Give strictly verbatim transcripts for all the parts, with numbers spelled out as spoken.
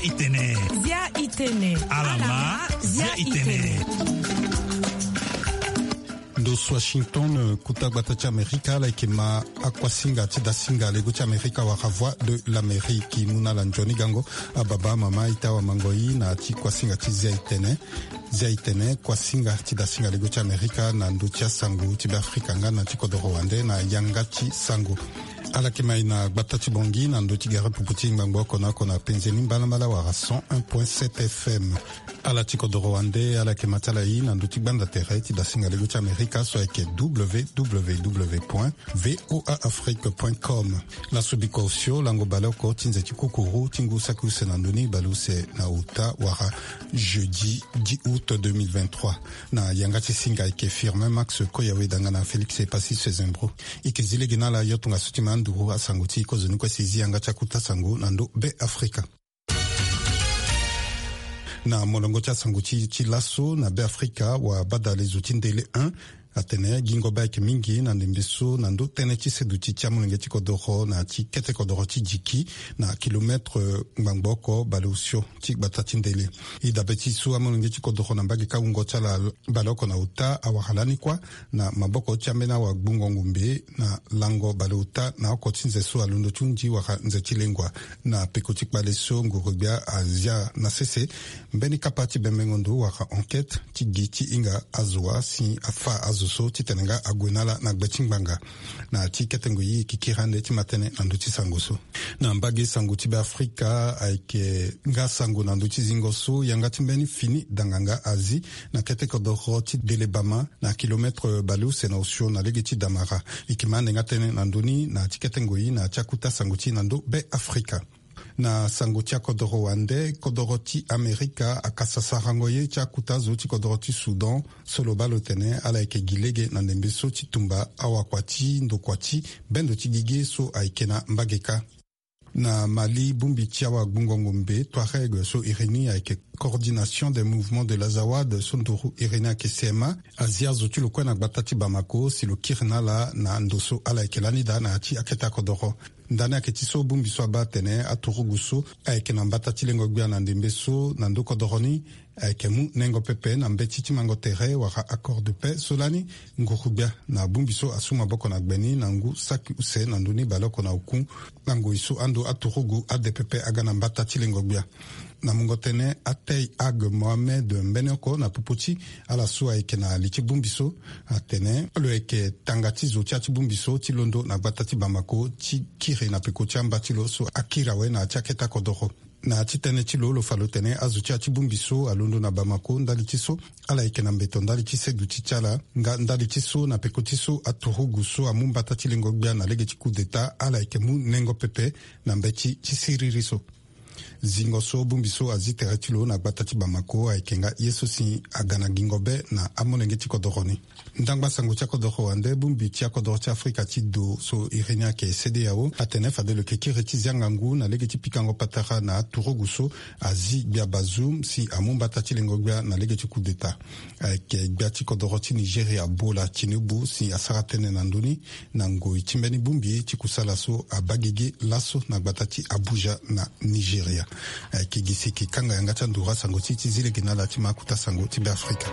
Itene. Zia itene. Alama. Zia itene. Ndo so Washington, kuta gbata ti Amerika, ala yeke ma akuasinga ti dasinga lego ti Amerika wala Voix de l'Amérique. Mu na ala nzoni gango ababa, amama, ita, awamango, i na ti kuasinga ti Zia itene. Zia itene, kuasinga ti dasinga lego ti Amerika na ndö ti asango ti Beafrika nga na ti kodoro wande na yanga ti sango. Ala yeke ma e na gbata ti Bangui na ndö ti gere pupu ti ngbangbo oko na oko na penze ni mbalambala wala cent un point sept F M. Ala ti kodoro wande ala yeke ma ti ala i na ndö ti gbanda tere ti dasinga lego ti Amerika so ayeke W W W point V O A Afrique point com. Laso biko osio lango baleoko ti nze ti kukuru ti ngu saki use na ndö ni baleuse na ota wala jeudi dix août deux mille vingt-trois. Na yanga ti singa ayeke Firmin Max Koyawe, danga na Félix Epassi Sezembro. E yeke zi lege na ala yo tongaso ti ma nduru asango ti e kozoni kue si e zi yanga ti akuta sango na ndö Beafrika. Na molongo ti asango ti, ti laso na Beafrika, wabadalezo ti ndele un atene gingo be ayeke mingi na ndembe so na ndö tënë ti seduti ti amolenge ti kodoro na ti kete kodoro ti Djiki na kilometre ngbangbo oko baleosio ti gbata ti ndele. E dabe ti so amolenge ti kodoro na mbage kawungo ti ala baleoko na ota awara lani kuâ na maboko ti ambeni awagbungo ngombe na lango baleota na oko ti nze so alondo ti hundi wala nze ti lengua. Na peko ti kpale so nguru-gbia azia na sese mbeni kapa ti bembengo ndo wala enquête ti gi ti hinga azo wa si afa azo so titene nga ague na ala na gbe ti ngbanga. Na ti kete ngoi e yeke kiri ande ti ma tënë na ndö ti sango so. Na mbage sango ti Beafrika ayeke nga sango na ndö ti zingo so yanga ti mbeni fini danganga azi na kete kodoro ti Delebama na kilometre baleuse na osio na lege ti Damara. E yeke ma ande nga tënë na ndö ni na ti kete ngoi na ti akuta sango ti e na ndö Beafrika. Na sango ti akodoro wande, kodoro ti Amerika akasa sarango ye ti akuta azo ti kodoro ti Soudan so lo baa lo tene ala yeke gi lege na ndembe so ti tumba awakua ti ndokua ti bendo ti gigi so ayeke na mbage kâ. Na Mali, bongbi ti awagbungo ngombe Touareg so iri ni ayeke Coordination des Mouvements de l'Azawad so nduru iri ni ayeke C M A, azi azo ti lo kue na gbata ti Bamako si lo kiri na ala na ndo so ala yeke lani daa na ya ti akete akodoro. Ndani ayeke ti so bongbi so abaa atene aturugu so ayeke na mbata ti lengo-gbia na ndembe so na ndö kodoro ni ayeke mu nengo pepe na mbeti ti mango tere wala accord de paix so lani nguru-gbia na bongbi so asu maboko na gbe ni na ngu saki use na ndö ni baleoko na oku. Na ngoi so ando aturugu ade pepe aga na mbata ti lengo-gbia. Na mungo tënë, Atey Ag Mohamed mbeni oko na popo ti ala so ayeke na li ti bongbi so atene lo yeke tanga ti zo ti ya ti bongbi so ti londo na gbata ti Bamako ti kiri na peko ti amba ti lo so akiri awe na ya ti akete akodoro. Na ya ti tënë ti lo, lo fa lo tene azo ti ya ti bongbi so alondo na Bamako ndali ti so ala yeke na mbeto ndali ti seduti ti ala nga ndali ti so na peko ti so aturugu so amu mbata ti lengo-gbia na lege ti coup d'État ala yeke mu nengo pepe na mbeti ti siriri so. Zingo so bongbi so azi tere ti lo na gbata ti Bamako ayeke nga ye so si aga na gingo be na amolenge ti kodoro ni. Ndangba sango ti akodoro wande, bongbi ti akodoro ti Afrika ti do so iri ni ayeke CEDEAO atene fade lo yeke kiri ti zia ngangu na lege ti pikango patara na aturugu so azi gbia Bazoum si amu mbata ti lengo-gbia na lege ti coup d'État. Ayeke gbia ti kodoro ti Nigeria Bola Tinubu si asara tënë na ndö ni na ngoi ti mbeni bongbi ti kusala so abaa gigi laso na gbata ti Abuja na Nigeria. Ayeke gi si e yeke kanga yanga ti anduru asango ti e ti zi lege na ala ti ma akuta sango ti Beafrika.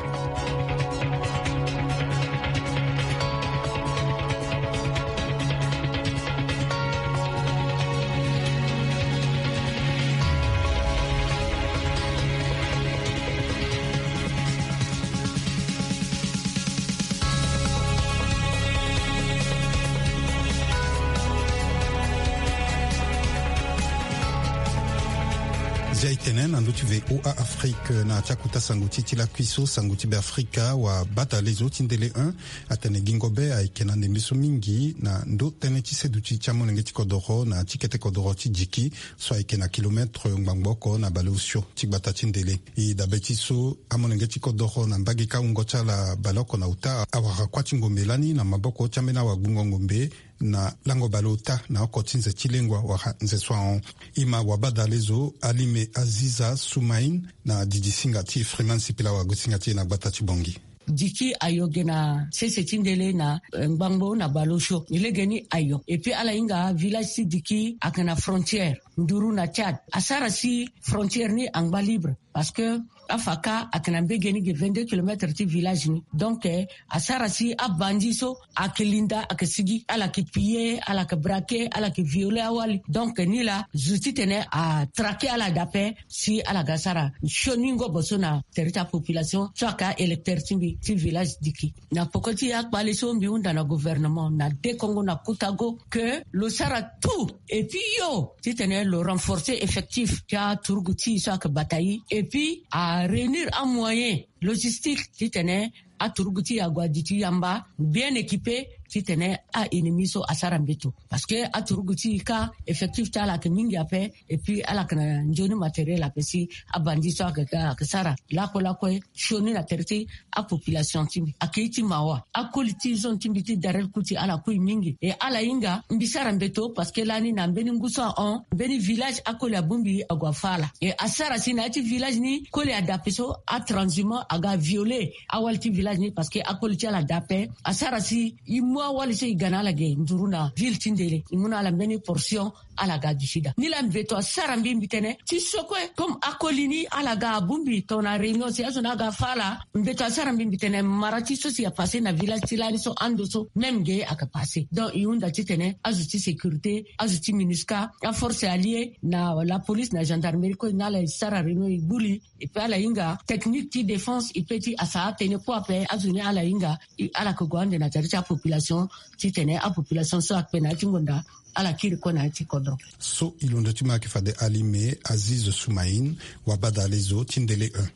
Zia e tene na ndö ti V O A Afrique na ya ti akuta sango ti e ti lakui so sango ti Beafrika wabadalezo ti ndele un atene gingo be ayeke na ndembe so mingi na ndö tënë ti seduti ti amolenge ti kodoro na ya ti kete kodoro ti Djiki so ayeke na kilometre ngbangbo oko na baleosio ti gbata ti ndele. E dabe ti so amolenge ti kodoro na mbage kawungo ti ala baleoko na ota awara kuâ ti ngombe lani na maboko ti ambeni awagbungo ngombe na lango baleota na oko ti nze ti lengua wala nze so ahon. E ma wabadalezo Alime Aziza Soumaïn na didi singa ti Freeman Sipila wagosinga ti e na gbata ti Bangui. Diki ayo ge na sese ti ndele na eh, ngbangbo na baleosio. Legeni ayo. Et puis ala hinga village ti Diki ayeke na frontière nduru na Tchad. Asara si frontière ni angba libre parce que afa ka ayeke na mbege ni ge vingt-deux kilomètres ti village ni. Donc eh, asara si abandi so ayeke linda ayeke sigi, ala yeke piller, ala yeke braquer, ala yeke violer awali. Donc ni laa zo titene atraquer ala dape si ala ga sara sioni ngobo so na tere ti apopulation so ayeke a-électeur ti mbi ti village Diki. Na poko ti akpale so mbi hunda na gouvernement na dekongo na kota go ke lo sara tout et puis yo titene lo renforcer effectif ti aturugu ti e so ayeke bata e et puis aréunir amoyen logistique titene aturugu ti e ague aduti yamba bien équipé titene a-ennemi so asara mbeto. Parce que aturugu ti e ka effectif ti ala ayeke mingi ape et puis ala yeke na nzoni matériel ape si abandi so ayeke ga ayeke sara lakue lakue sioni na tere ti apopulation ti mbi. Ayeke ye ti mawa. Akoli ti zone ti mbi ti Darel Kuti ala kui mingi. E ala hinga mbi sara mbeto parce que lani na mbeni ngu so ahon mbeni village akoli abongbi ague afa ala. E asara si na ya ti village ni koli adape so atranshumant aga violer awali ti village ni parce que akoli ti ala dape. Asara si e mu awali so e ga na ala ge nduru na ville ti ndele e mu na ala mbeni portion. Ala ga du sida ni laa mbeto asara mbi mbi tene ti so kue comme akoli ni ala ga abongbi tongana réunion si azo ni aga afa ala. Mbeto asara mbi mbi tene mara ti so si apasser na village ti lani so ando so même ge ayeke passer. Donc e hunda titene azo ti sécurité, azo ti MINUSCA, aforce alliée na lapolice na gendarmerie kue na ala e sara réunion e gbu li. E pe ala hinga technique ti défense e pe ti asa atënë kue ape azo ni ala hinga. Ala yeke gue ande na tere ti apopulation titene apopulation so akpe na ya ti ngonda ala kiri kue na ya ti kodro. So e londo ti ma ayeke fade alime Aziz Soumaïn, wabadale zo ti ndele un.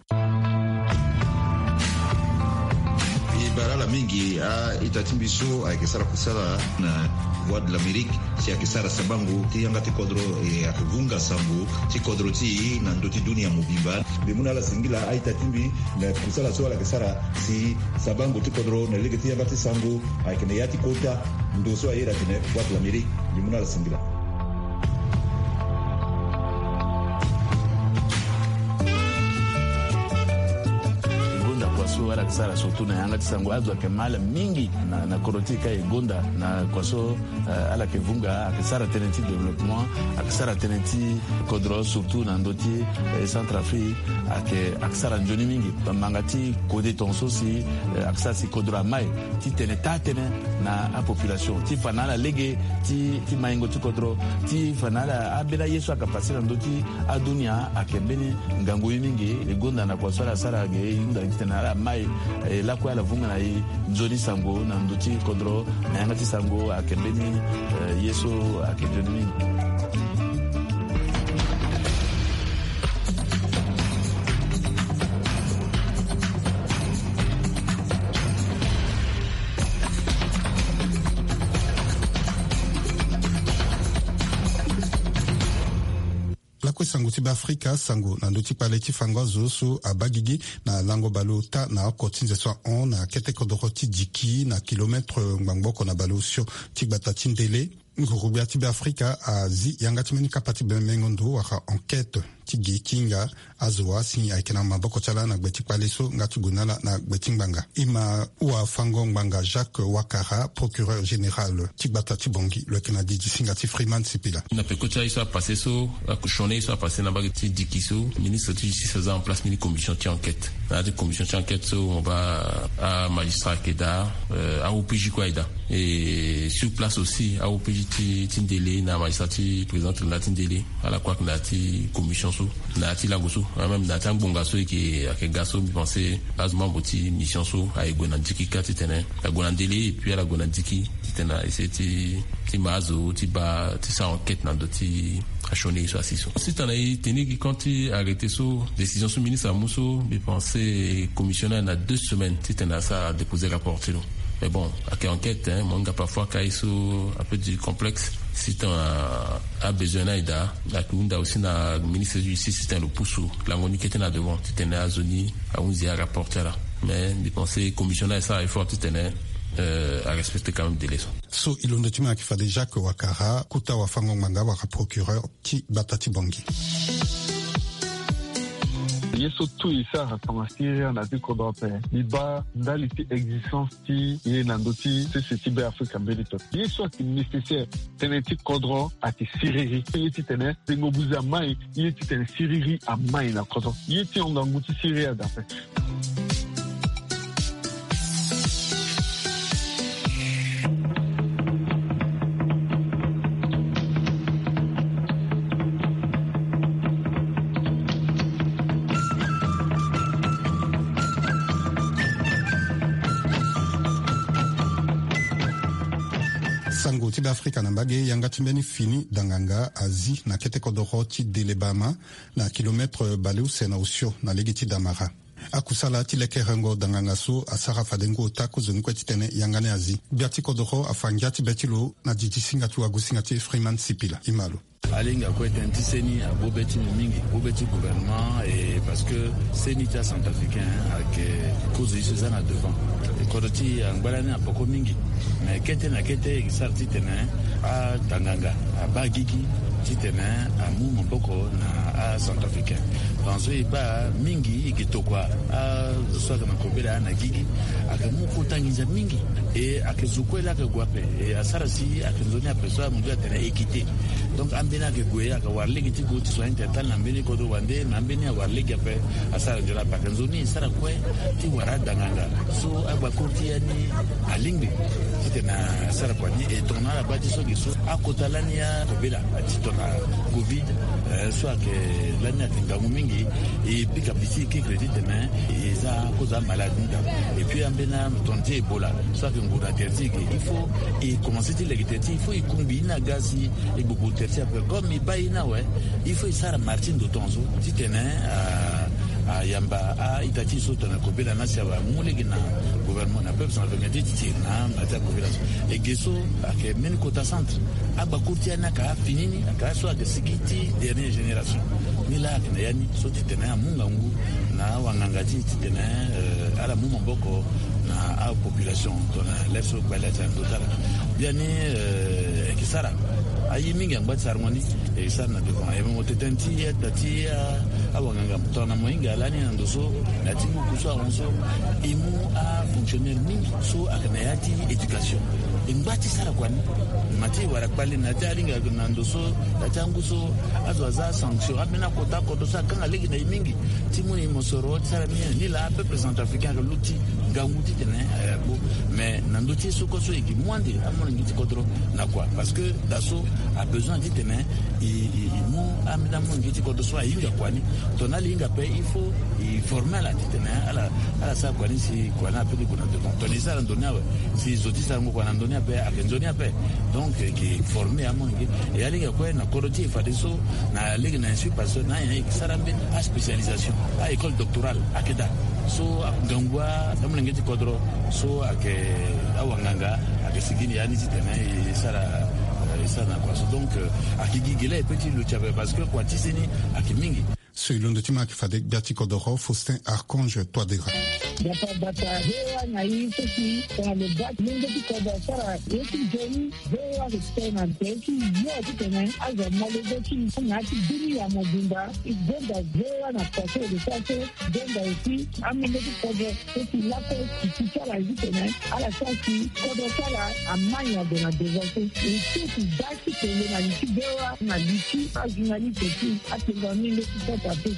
E bara ala mingi a-ita ti mbi so ayeke sara kusala na Voix de l'Amérique si ayeke sara sabango ti yanga ti kodro e ayeke vunga sango ti kodro ti e na ndö ti dunia mobimba. Mbi mu na ala singila a-ita ti mbi na kusala so ala yeke sara si sabango ti kodro na lege ti yanga ti sango ayeke na ya ti kota ndo so aye iri atene Voix de l'Amérique. Mbi mu na ala singila. E gonda kua so ala yeke sara surtout na yanga ti sango azo ayeke ma ala mingi na, na kodro ti e ka e gonda na kua so. Eh, ala yeke vunga ayeke sara tënë ti développement, ayeke sara tënë ti kodro surtout na ndö ti eh, Centrafrique. Ayeke ayeke sara nzoni mingi. Manga ti kode tongaso si eh, ayeke sara si kodro amai titene taa tënë na apopulation ti fa na ala lege ti, ti maingo ti kodro ti fa na ala ambeni aye so ayeke pase na ndö ti adunia ayeke mbeni ngangu ye mingi. E gonda na kua so ala sara ge e hunda titene ala mai eh, lakue ala vunga na e nzoni sango na ndö ti kodro na yanga ti sango ayeke mbeni eh, ye so ayeke nzoni mingi. Lakue sango ti Beafrika, sango na ndö ti kpale ti fango azo so abaa gigi na lango baleota na oko ti nze so ahon na kete kodoro ti Diki na kilometre ngbangbo oko na baleosio ti gbata ti Ndele. Nguru-gbia ti Beafrika azi yanga ti mbeni kapa ti bembengo ndo wala enquête ti ge ti hinga azo wa si ayeke na maboko ti ala na gbe ti kpale so nga ti gue na ala na gbe ti ngbanga. E ma wafango ngbanga Jacques Ouattara, procureur général ti gbata ti Bangui, lo yeke na didi singa ti Freeman Sipila. Na peko ti aye so apasse so, akosione ye so apasse na mbage ti Diki so, ministre ti justice aza en place mbeni commission ti enquête. Na ya ti commission ti enquête so mo baa amagistrat ayeke daa, eh, a-O P J kue ayeke daa. Et sur place aussi, a-O P J ti, ti Ndele na magistrat ti président tribunal ti Ndele, ala kue ayeke na ya ti commission so, na ya ti lango so, ah, même na ya ti angbonga so e yeke, ayeke ga so, mbi pense azo membre ti mission so aye gue na Diki kâ titene ague na Ndele et puis ala gue na Diki titene a essayer ti, ti ma azo ti baa ti sara enquête na ndö ti asioni ye so asi so. Sitana e tenir gi compte ti arrêté so, décision so ministre amu so, mbi pense commission ni ayeke na deux semaines titene asara déposer rapport ti lo. Mais bon, ayeke enquête, hein, mo hinga parfois ka ye so un peu du complexe. Sitana abesoin ni ayeke daa, ayeke hunda aussi na ministre ti justice titene lo pusu lango ni kete na devant titene azo ni ahunzi arapport ti ala. Mais mbi pense commission ni ayeke sara effort titene, euh, arespecter quand même délai so. So e londo ti ma ayeke fade Jacques Ouattara, kota wafango ngbanga wala procureur ti gbata ti Bangui. Ye so tout e sara tongana siriri na ya ti kodro ape, mbi baa ndali ti existence ti ye na ndö ti sese ti Be Afrika mbeni pepe. Ye so ayeke nécessaire, tënë ti kodro ayeke siriri. Ye titene tengo buze amai, ye titene siriri amai na kodro. Ye ti hon ngangu ti siriri aga ape. Sango ti Be Afrika na mbage, yanga ti mbeni fini danganga azi na kete kodoro ti Delebama, na kilometre baleuse na osio na lege ti Damara. Akusala ti lekerengo danganga so asara fade ngu ota kozoni kue titene yanga ni azi. Gbia ti kodoro afa ngia ti be ti lo na didi singa ti wagosinga ti Freeman Sipila. Imalo. Alinga kue tënë ti seni abube ti mbi mingi, bube ti gouvernement, et parce que seni ti acentrafricain ayeke kozo ye so eza na devant. E kodro ti e angba lani apoko mingi. Mais kete na kete e sara titene adanganga abaa gigi titene amu maboko na acentrafricain. Parce que e baa mingi e yeke tokua azo so ayeke na kobela na gigi, ayeke mu kota nginza mingi. E ayeke zo kue laa ayeke gue ape. E asara si ayeke nzoni ape so amu ndio atene équité. Donc ambeni ayeke gue, ayeke wara lege ti gue ti soin ti atali na mbeni kodro wande, na ambeni awara lege ape. Asara nzoni ape, ayeke nzoni e sara kue ti wara adanganga so agbakuru ti ya ni alingbi titene asara kua ni. E tongana ala baa ti so ge so akota lani akobela ti tongana covid, eh, so ayeke lani ayeke ngangu mingi. E pika piti e kekre titene e za kozo amalade ni daa. Et puis ambeni atongana ti Ebola so ayeke nguru na tere ti e ge, il faut e komanse ti leke tere ti e, il faut e kungbi ye ni aga si e gbogbogbo tere ti e ape. Comme e baa ye ni awe, il faut e sara marché ndo tongaso titene, ah, ayamba a-ita ti e so tongana kobela ni asi awe amu lege na gouvernement na peuple centrafricain ti titiri na mala ti akobela so. E ge so ayeke mbeni kota centre. Agbakuru ti ya ni ayeke afini ni, ayeke aso ayeke sigi ti dernière génération. Ni laa ayeke na ya ni so titene amu ngangu na awanganga ti e titene, eh, ala mu maboko na apopulation tongana lere so gbali ati na ndo ti ala. Biani, eh, e yeke sara aye mingi angba ti sarango ni. E sara na devant. E mo tene ti ita ti, ah, awanganga tongana mo hinga lani na ndo so, na ya ti nguku so ahon so, e mu afonctionnaire mingi so ayeke na ya ti éducation. E ngba ti sara kua ni. Ma ti e wara kpale na ya ti alinga na ndo so, na ya ti angu so, azo aza sanction. Ambeni akota kodro so akanga lege na e mingi ti mu na e mosoro ti sara ni. Ni laa peuple centrafricain ayeke luti ngangu titene, eh, agbu. Mais na ndö ti ye so kue so e yeke mu ande amolenge ti kodro na kua. Parce que daa so abesoin titene e, e, e mu ambeni amolenge ti kodro so ahinga kua ni. Tongana ala hinga ape, il faut e former ala titene ala, ala sara kua ni si kua ni apeut ti gue na devant. Tongana e sara ndo ni awe, si zo ti sarango kua na ndo ni ape ayeke nzoni ape. Donc e yeke former amolenge. E alinga kue na kodro ti e fadeso na lege na institut Pasteur na anyen e yeke sara mbeni aspécialisation, a-école doctorale ayeke daa. So ngangu amolenge ti kodro so ayeke awanganga ayeke sigi ni ya ni titene e sara, e sara na kua so. Donc, euh, ayeke gi gele ape ti lo ti ape parce que kua ti seni ayeke mingi. So e londo ti ma ayeke fade gbia ti kodoro Faustin Archange Touadéra. Gbata gbata, V O A na e so si tongana lo baa ti lenge ti kodro asara ye ti nzoni, V O A ayeke tene na tere ti yo titene azo amolenge ti e na ya ti bini ya mobimba. E gonda V O A na kua so e lo sara so, e gonda aussi amolenge ti kodro so si lakue ti ti ti ala zi tene ala sara si kodro ti ala amai ague na devant so. E so ti baa ti tene na li ti V O A na li ti ajournaliste ti atengua ni nde ti sota pe.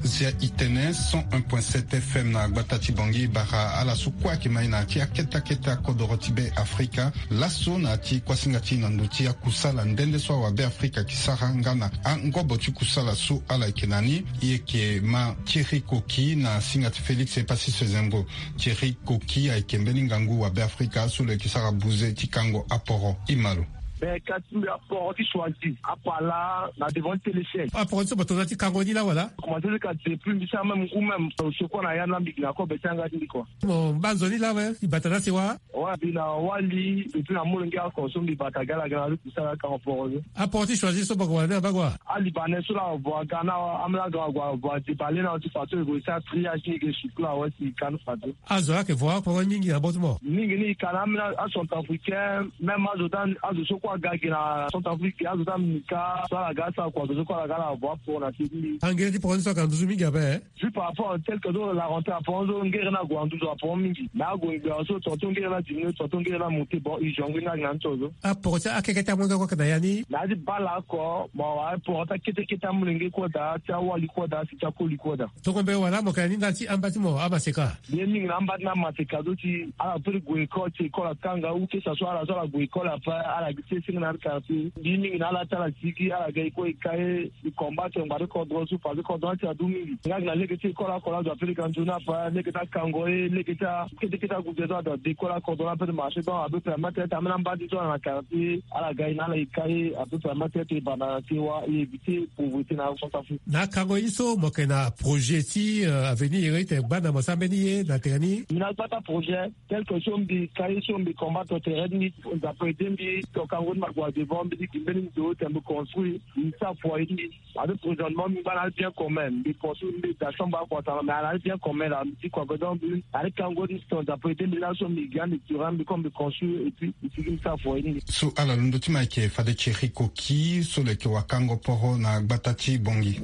Zia e tene cent un point sept F M na gbata ti Bangui, bara ala so kue ayeke mai na ya ti akete akete akodoro ti Be Afrika. Laso na ya ti kuasinga ti e na ndo ti akusala nde nde so awabe Afrika ayeke sara nga na angobo ti kusala so ala yeke na ni. E yeke ma Thierry Koki na singa ti Félix Epassis Sezembo. Thierry Koki ayeke mbeni ngangu wabe Afrika so lo yeke sara buze ti kango aporo. Imalo. Mais kasi mbi aporo ti choisi apala na devant ti téléchaîne. Aporo ti so bato na ti kango ni la wala? Commencé ti kasi depuis mbi sara même ngu même, euh, secours na ya na mbi na kobe ti anga ti mbi kua. Mo baa nzoni la we, e bata na sewa. Wa Mbi na wali, et puis na molenge oko so mbi bata ga ala ga na luku sara kango poro so. Aporo ti choisir so boko wala ni abaa kua. Alibanais so laa avo aga na ambeni aga ague avo adebale na ti fadeso e gue sara triage ni e ke sukula awe si e ka ni fadeso. Azo ayeke vo aporo mingi na bâtiment. Mingi ni e ka na ambeni acentrafricain, même azo ti azo so kue aga gi na centrafrique azo ti amika so ala ga asara kua azo so kue ala ga ala avo aporo na se ti mbi. Angere ti poro ni so ayeke na nduzu mingi ape. Juste par rapport tel que so la rentrée aporo so ngere ni ague na nduzu aporo mingi. Mais ague ngbia so tonton ngere ni adiminué, tonton ngere ni amonté, bon, e jongé ni ayeke na ni so so. Aporo ti akeke ti amolenge kue ayeke na ya ni. Na ya ti bale oko, bon, aporo ti akete kete amolenge kue daa, ti awali kue daa, si ti akoli kue daa. Tongo mbe wala mo yeke na ni ndali ti amba ti mo amaseka. Mbi ye mingi na amba ti na amaseka so si ala peut ti gue école, si école akanga ou que ça soit ala so ala gue école ape, ala gi ti senge na ya ti quartier. Mbi ye mingi na ala ti ala sigi, ala ga e kue e ka e. E combattre ngbanga ti kodro so parce que kodro ni ti adu mingi. Nga gi na lege ti école oko laa azo ape lege anzoni ape, lege ti akango ye, lege ti akete kete agude so azo ade école akodro ni ape ti marché, donc ape permettre ti ambeni amba ti so na quartier ala ga e na ala e ka ye, ape permettre ti e banda na ti e wa e éviter pauvreté na centrafrique. Na akango ye ni so mo yeke na projet ti, euh, avenir ti tene gbanda mo sara mbeni ye na tere ni? Mbi na gbata projet tel que so mbi ka ye so mbi combattre tere ti mbi, Nzapa aidé mbi, to kango ni mo ague devant mbi ti gi mbeni ndo ti tene mbi construire, mbi sara foyer ti mbi. Parce que présentement mbi ngba na le bien commun, mbi construire mbi da chambre akua tara, mais na le bien commun laa mbi ti kua, donc mbi na le kango ni so Nzapa aidé mbi laso mbi gi ande tirant mbi comme mbi construire et puis mbi sigi mbi sara foyer ti mbi. So ala londo ti mo ayeke fade Thierry Koki so lo yeke wakango poro na gbata ti Bangui.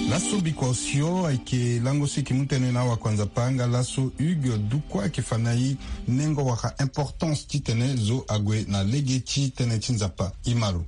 Laso biko osio ayeke lango so e yeke mu tënë na awakua Nzapa nga laso Hugues Dukwa ayeke fa na e nengo wala importance titene zo ague na lege ti tënë ti Nzapa. E ma lo.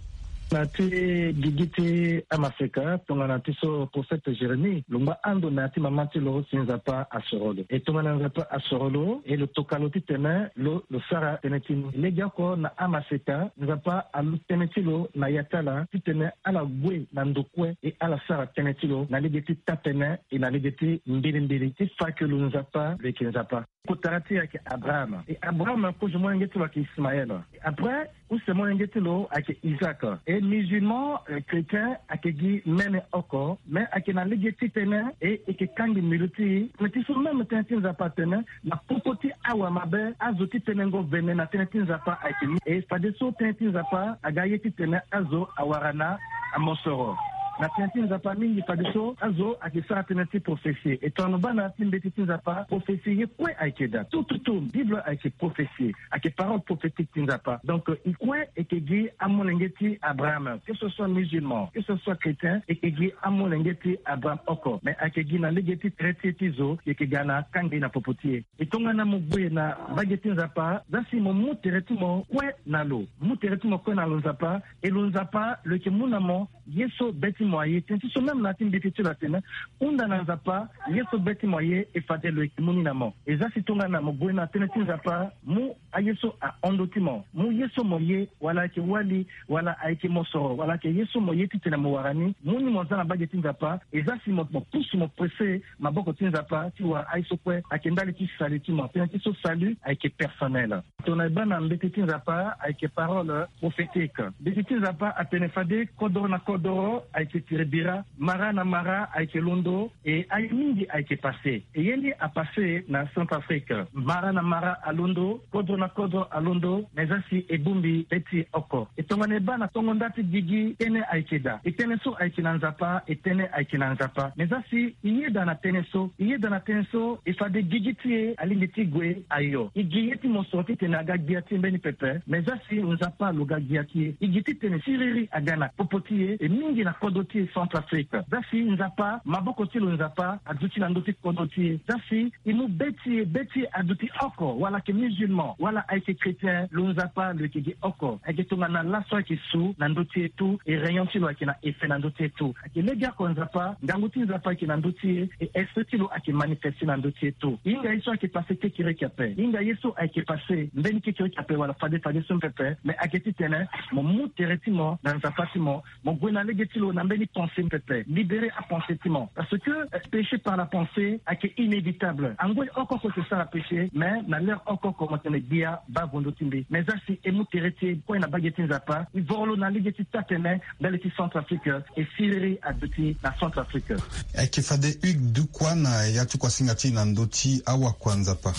Na ti gigi ti amaseka tongana ti so prophète Jérémie lo ngba ando na ya ti mama ti lo si Nzapa asoro lo. E tongana Nzapa asoro lo e lo toka lo titene lo lo sara tënë ti ni. Legeoko na amaseka Nzapa aluti tënë ti lo na ya ti ala titene ala gue na ndo kue e ala sara tënë ti lo na lege ti taa-tënë e na lege ti mbilimbili ti fa ke lo Nzapa lo yeke Nzapa. Kota ti e ayeke Abraham. E Abraham kozo molenge ti lo ayeke Ismaël. E après use molenge ti lo ayeke Isaac. E musulman, euh, chrétien ayeke gi mene oko, mais ayeke na lege ti tënë e e yeke kangbi mbili ti e. Mais ti so même tënë ti Nzapa atene na popo ti awamabe azo ti tenengo vene na tënë ti Nzapa ayeke ni. E fadeso tënë ti Nzapa aga ye titene azo awara na amosoro. Na tënë ti Nzapa mingi fadeso azo ayeke sara tënë ti prophesie. E tongana lo baa na ya ti mbeti ti Nzapa, prophesie ye kue ayeke daa. Tout, tout, tout, Bible ayeke prophesie. Ayeke parole prophétique ti Nzapa. Donc, euh, e kue e yeke gi amolenge ti Abraham, que ce soit musulman, que ce soit chrétien, e yeke gi amolenge ti Abraham oko. Mais ayeke gi na lege ti tere ti e ti zo, e yeke ga na kangbi na popo ti e. E tongana mo gue na mbage ti Nzapa, zia si mo mu tere ti mo kue na lo. Mu tere ti mo kue na lo Nzapa, e lo Nzapa lo yeke mu na mo ye so be ti mo aye. Tënë ti so même na ya ti mbeti ti lo atene, hunda na Nzapa ye so be ti mo aye, e fade lo yeke mu ni na mo. E zia si tongana mo gue na tënë ti Nzapa, mu aye so ahon ndö ti mo, mu ye so mo ye, wala ayeke wali, wala ayeke mosoro, wala ayeke ye so mo ye titene mo wara ni, mu ni mo zia na mbage ti Nzapa. E zia si mo, mo pusu, mo presse maboko ti Nzapa ti wara aye so kue ayeke ndali ti salut ti mo. Tënë ti so salut ayeke personnel. Tongana e baa na mbeti ti Nzapa ayeke parole prophétique. Mbeti ti Nzapa atene fade kodoro na kodoro ayeke tiri bira, mara na mara ayeke londo, e aye mingi ayeke passé. E ye ni apassé na Centrafrique. Mara na mara alondo, kodro na kodro alondo, mais zia si e bongbi be ti e oko. E tongana e baa na tongo nda ti gigi, tënë ayeke daa. E tënë so ayeke na Nzapa, e tënë ayeke na Nzapa. Mais zia si e yeda na tënë so, e yeda na tënë so, e fade gigi ti e alingbi ti gue ayo. E gi ye ti mosoro titene aga gbia ti e mbeni pepe, mais zia si Nzapa lo ga gbia ti e. E gi titene siriri aga na popo ti e, e mingi na kodro ti e Centrafrique. Zia si Nzapa, maboko ti lo Nzapa aduti na ndö ti kodro ti e. Zia si e mu be ti e, be ti e aduti oko, wala ayeke musulman, wala ayeke chrétien, lo Nzapa lo yeke gi oko. Ayeke tongana laso ayeke su na ndö ti e tout, e rayon ti lo ayeke na effet na ndö ti e tout. Ayeke legeoko Nzapa, ngangu ti Nzapa ayeke na ndö ti e, e esprit ti lo ayeke manifesté na ndö ti e tout. E hinga ye so ayeke passé kekereke ape. E hinga ye so ayeke passé mbeni kekereke ape wala fade fade so pepe, mais ayeke titene mo mu tere ti mo na Nzapa ti mo, mo gue na lege ti lo na mbeni Ni pensée pepe, libérer apensée ti mo. Parce que euh, péché par la pensée ake inévitable. Angoi oko oko se sara péché, mais na l'heure oko oko mo tene gbia baa vo ndö ti mbi. Mais za si e mu tere ti e kue na bage ti Nzapa, e voro lo na lege ti taa-tene ndali ti Centrafrique, e siriri aduti na Centrafrique. Ayeke fade Hugues Dukwa na ya ti kuasinga ti e na ndö ti awakua Nzapa.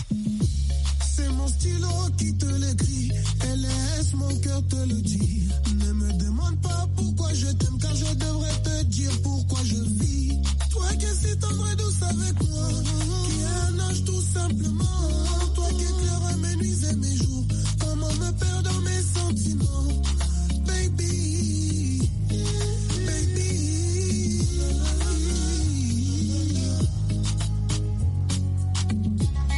C'est mon stylo qui te l'écrit et laisse mon cœur te le dire. Ne me demande pas pourquoi je t'aime, car je devrais te dire pourquoi je vis. Toi qui es si tendre et douce avec moi, qui est un ange tout simplement. Toi qui éclaires mes nuits et mes jours, comment me perdre dans mes sentiments, baby, baby.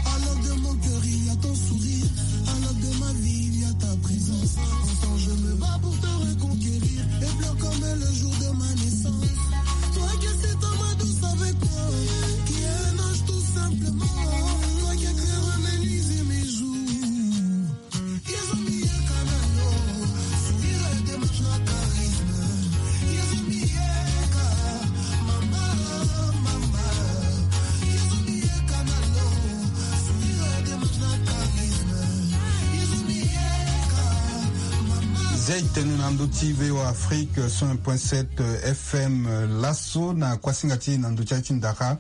À l'œuvre de mon cœur, il y a ton sourire. À l'œuvre de ma vie, il y a ta présence. Ensemble, je me bats pour te reconquérir. Et pleure comme le jour de ma naissance. Toi qui es si tendre et douce avec moi, qui est un ange tout simplement. Toi qui éclaires mes nuits et mes jours. Zia e tene na ndö ti V O A Afrique cent un point sept F M. Laso na kuasinga ti e na ndö ti aye ti ndara.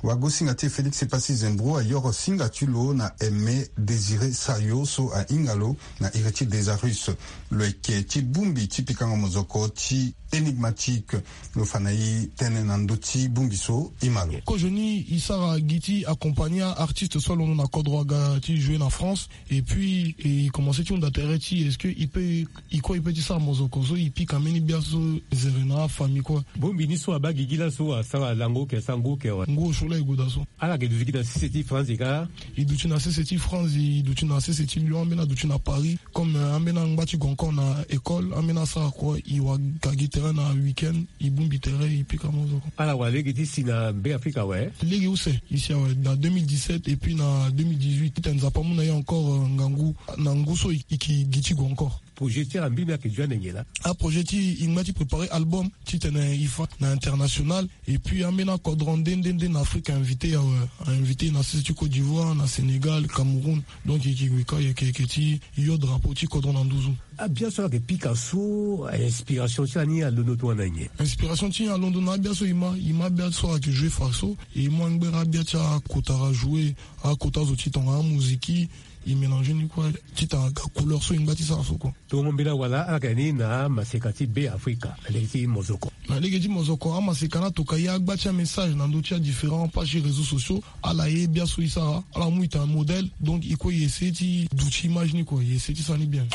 Wagosinga ti e Félix Epassi Zembro ayoro singa ti lo na Aimé Désiré Sayo so ahinga lo na Héritier Desarus. Lo yeke ti bongbi ti pikango mozoko ti Énigmatique. Lo fa na e tënë na ndö ti bongbi so e ma lo. Kozoni e sara gi ti accompagner artiste so alondo na kodro aga ti jouer na France. Et puis e commencer ti hunda tere ti est-ce que e peut e kue e peut ti sara mozoko so e pika mbeni gbia so zere na afamille kue. Bongbi ni so abaa gigi laso asara lango oke, asango oke awe. Ngu osio laa e gue daa so. Ala yeke duti gi na sese ti France kâ? E duti na sese ti France, e duti na sese ti Lyon, ambeni aduti na Paris. Comme euh, ambeni angba ti gue encore na école, ambeni asara kue, e wara gi tere na week-end, e bongbi tere, e pika mozoko. Ala wara lege ti si na Beafrika awe? Lege use e si awe, na deux mille dix-sept et puis na deux mille dix-huit, titene Nzapa amu na e encore euh, ngangu na ngu so e yeke gi ti gue encore. Projet ti ala mbeni ayeke duti ande nyen laa? Aprojet ti e ngba ti préparer album, titene e fa na international. Et puis ambeni akodro nde nde nde na Afrique a invité e awe, a invité e na sese ti Côte d'Ivoire, na Sénégal, Cameroun. Donc e yeke gue kâ, e yeke, e yeke ti yo drapeau ti kodro na nduzu. Abia so ala yeke pika so, inspiration ti ala ni alondo tongana nyen? Inspiration ti e alondo na abia so e ma, e ma abia so ala yeke jouer fa so. E mu angbere abia ti akotara jouer, akota zo ti tongana amuziki. E mélanger ni kue titene aga couleur so e ngba ti sara so kue. Tongo mbela wala ala yeke ni na maseka ti Beafrika na lege ti mozoko. Na lege ti mozoko, amaseka ni atoka e agba ti amessage na ndö ti adifférent page ti réseaux sociaux. Ala ye bia so e sara, ala mu e tene modèle. Donc e kue e essayer ti duti image ni kue, e essayer ti sara ni bien.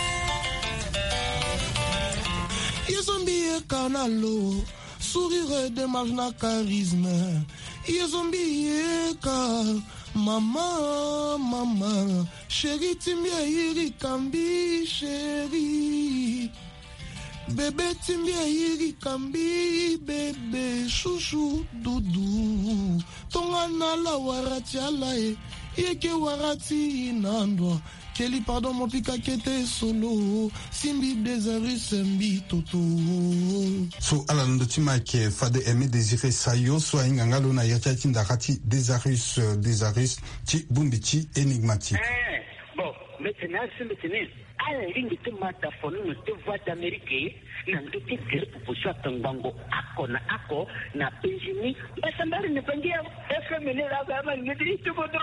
Ye so mbi ye ka na lo, sourire, démarche na charisme. Ye so mbi ye ka, mama, mama. Chéri ti mbi ayirika mbi, chéri. Bébé ti mbi ayirika mbi, bébé, chouchou, doudou. Tongana ala wara ti ala e, e yeke wara ti e na ndo. Keli pardon mo pika kete solo, si mbi Desarus mbi toto. So ala na ndö ti ma ayeke fade Aimé Désiré Sayo so ahinga nga lo na ya ti aye ti ndara ti Desarus, euh, Desarus ti bongbi ti Énigmatique. Eh, bon, mbi tene asi mbi tene ala lingbi ti ma daphone na ndö ti Voix d'Amérique, na ndö ti gere popo so atongbango ako na ako na Benjini. Mbasambari ni bangi ya F M ni la ba ma ni ti bodo.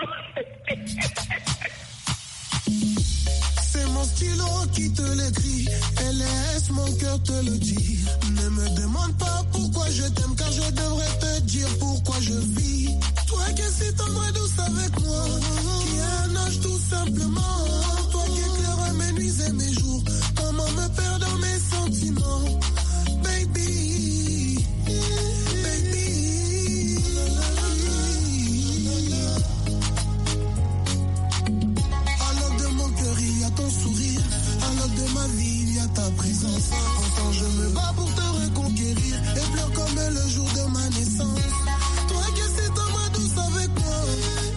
C'est mon stylo qui te l'écrit et laisse mon cœur te le dire. Ne me demande pas pourquoi je t'aime, car je devrais te dire pourquoi je vis. Toi qui es si tendre et douce avec moi, qui est un ange tout simplement. Toi qui éclaires mes nuits et mes jours, comment me perdre dans mes sentiments, baby, baby. À l'œuvre de mon cœur, il y a ton sourire. À l'œuvre de ma vie, il y a ta présence. Ensemble, je me bats pour te reconquérir. Et pleure comme le jour de ma naissance. Toi qui es si tendre et douce avec moi,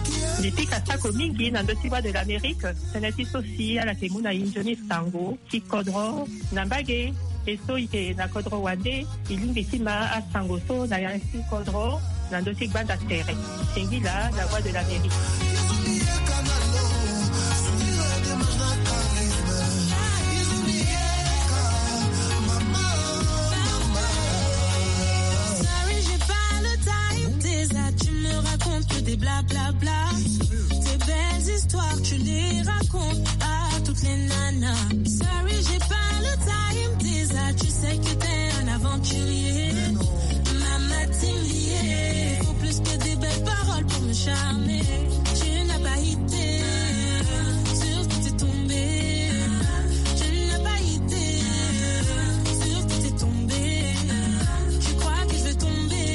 qui est... Mbi pika sako mingi na ndö ti Voix de l'Amérique. Tënë ti so si ala yeke mu na e nzoni sango ti kodro na mbage. E so e yeke na kodro wande, e lingbi ti ma asango so na ya ti kodro na ndö ti gbanda tere. Singila, La Voix de l'Amérique. Sorry, j'ai pas le time, déjà tu me racontes que des blablabla. Tes belles histoires, tu les racontes à toutes les nanas. Sorry, j'ai pas le time, déjà tu sais que t'es un aventurier. Mama Timbier, faut plus que des belles paroles pour me charmer. Tu n'as pas idée sur qui t'es tombé. Tu n'as pas idée sur qui t'es tombé. Tu crois que je vais tomber,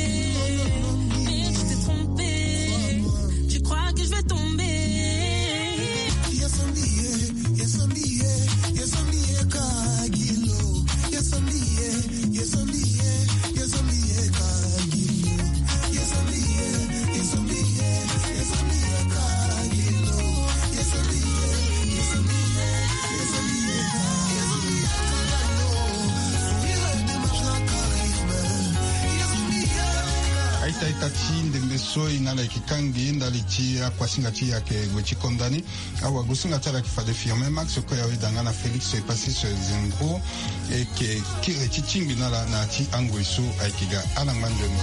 mais tu t'es trompé. Tu crois que je vais tomber. Aita aita ti ndembe so e na ala yeke kangbi ndali ti akuasinga ti e ayeke gue ti konda ni. Awagosinga ti ala yeke fade Firmin Max, kue awe danga na Félix Epasis Zengro. E yeke kiri ti tingbi na ala na ya ti angoi so ayeke ga ala ngbangeni.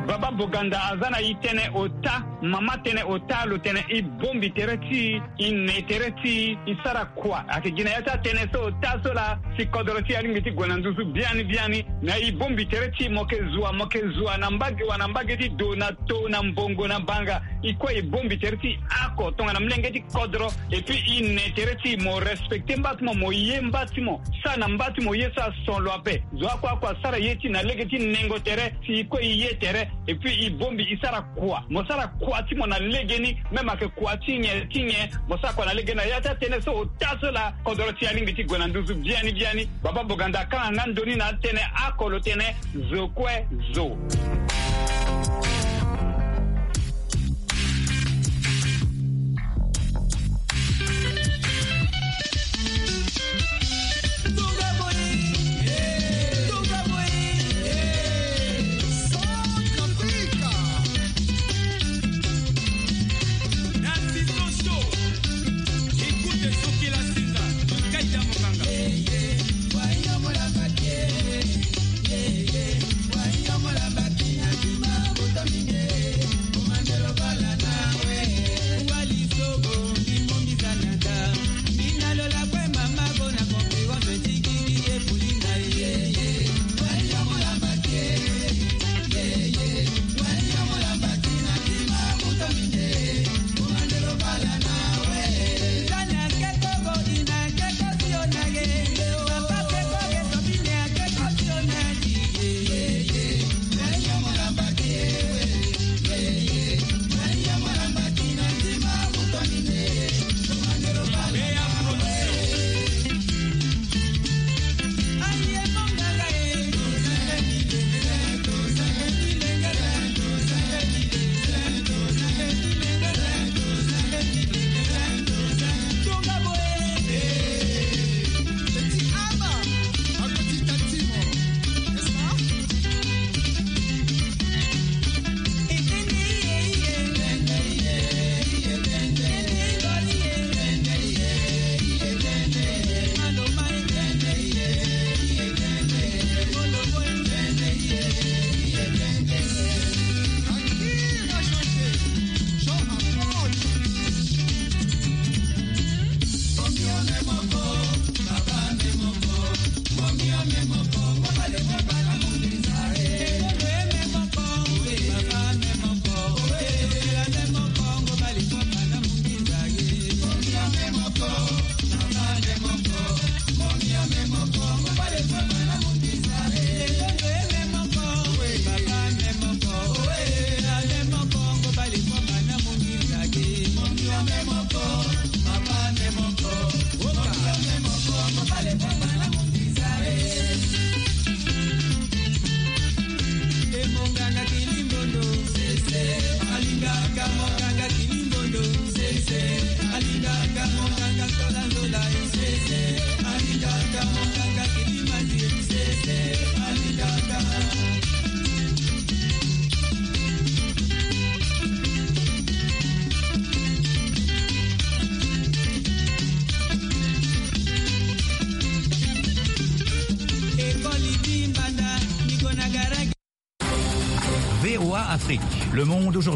Baba Boganda aza na e tënë ota, mama tënë ota, lo tene e bongbi tere ti e, e ne tere ti e, e sara kua. Ayeke gi na ya ti atënë so ota so laa si kodro ti e alingbi ti gue na nduzu biani biani. Na e bongbi tere ti e, mo yeke zua, mo yeke zua na mbage wa na mbage ti do, na to, na mbongo, na banga. E kue e bongbi tere ti e oko tongana molenge ti kodro. Et puis e ne tere ti e, mo respecter mba ti mo, mo ye mba ti mo, sara na mba ti mo ye so ason lo ape. Zo oko oko asara ye ti e na lege ti nengo tere, si e kue e ye tere. Et puis e bongbi e sara kua, mo sara kua ti mo na legeni. Même ayeke kua ti nyen ti nyen, mo sara kua na legeni. Na ya ti atënë so ota so laa kodro ti e alingbi ti gue na nduzu biani biani. Baba Boganda akanga nga ndo ni na atënë oko, lo tene zo kue zo. Afrique, le monde aujourd'hui.